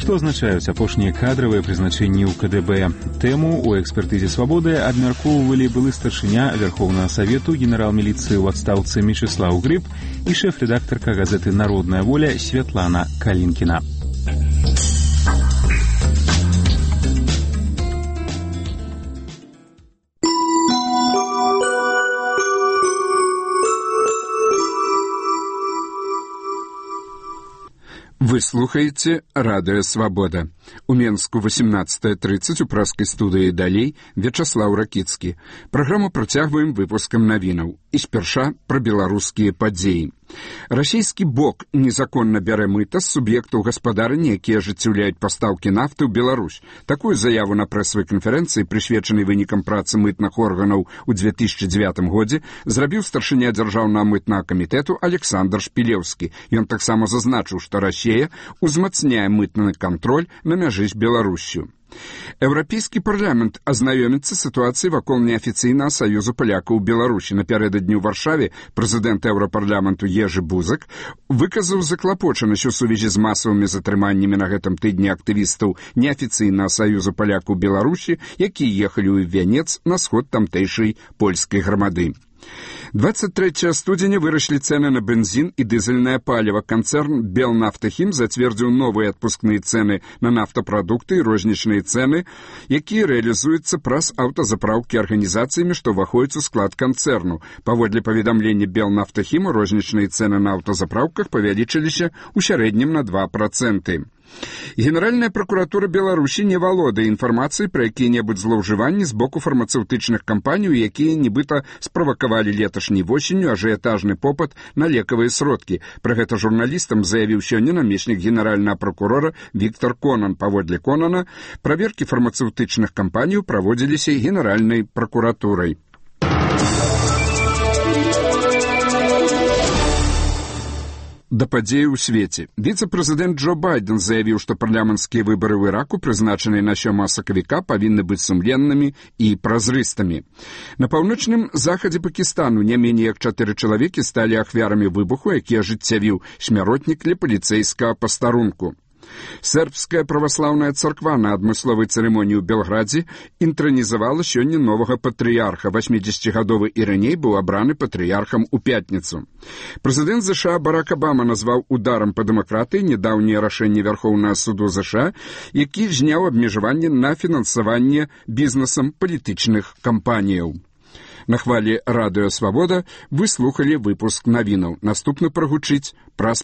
Што азначаюць апошнія кадравыя прызначэнні ў КДБ? Тэму ў экспертызе «Свабоды» абмяркоўвалі былы старшыня Верховнага Савету, генерал міліцыі ў адстаўцы Мечыслаў Грыб і шэф-рэдактарка газеты «Народная воля» Святлана Калінкіна. Вы слухаеце радыё «Свабода». У Менску 18:30 у праскай студыі «Далей» Вячаслаў Ракіцкі. Праграму працягваем выпускам навінаў. І спярша пра беларускія падзеі. Расійскі бок незаконна бярэ мыта з суб'ектаў гаспадарання, якія ажыццяўляюць пастаўкі нафты ў Беларусь. Такую заяву на прэсавай канферэнцыі, прысвечанай вынікам працы мытных органаў у 2009 годзе, зрабіў старшыня дзяржаўнага мытнага камітэту Александр Шпілеўскі. Ён таксама зазначыў, што Расія узмацняе мытны кантроль на мяжы з Беларуссю. Еўрапейскі парламент азнаёміцца з сітуацыяй вакол неафіцыйнага саюзу палякаў у Беларусі. Напярэдадні ў Варшаве прэзідэнт еўрапарламенту Ежы Бузак выказаў заклапочанасць у сувязі з масавымі затрыманнямі на гэтым тыдні актывістаў неафіцыйнага саюзу палякаў Беларусі, якія ехалі ў Вянец на сход тамтэйшай польскай грамады. 23 студзеня выраслі цэны на бензін і дызельнае паліва. Канцэрн «Белнафтахім» зацвердзіў новыя адпускныя цэны на нафтапрадукты і рознічныя цэны, якія рэалізуюцца праз аўтазапраўкі арганізацыямі, што ўваходзяць у склад канцэрну. Паводле паведамлення «Белнафтахіму» рознічныя цэны на аўтазапраўках павялічыліся ў сярэднім на 2%. Генеральная прокуратура Беларусі не валодае інфармацыяй пра якія-небудзь злоўжыванні з боку фармацэўтычных кампаній, якія нібыта справакавалі леташняй восенню ажыятажны попыт на лекавыя сродкі. Пра гэта журналістам заявіў сёння намеснік генеральнага прокурора Віктор Конан. Паводле Конана, праверкі фармацэўтычных кампаній праводзіліся генеральнай прокуратурай. Да падзеі ў свеце. Віцэ-прэзідэнт Джо Байден заявіў, што парламенцкія выбары ў Іраку, прызначаныя на 7 сакавіка, павінны быць сумленнымі і празрыстымі. На паўночным захадзе Пакістану не меней як 4 чалавекі сталі ахвярамі выбуху, які ажыццявіў смяротнік для паліцэйскага пастарунку. Сербская праваслаўная царква на адмысловай цырымоніі ў Белградзе інтранізавала сёння новага патрыярха. 80-гадовы Ірыней быў абраны патрыярхам у пятніцу. Прэзідэнт ЗША Барак Абама назваў ударам па дэмакратыі нядаўняе рашэнне Вярхоўнага суду ЗША, які зняў абмежаванне на фінансаванне бізнесам палітычных кампаніяў. На хвалі радыё «Свабода» вы слухалі выпуск навінаў. Наступны прагучыць праз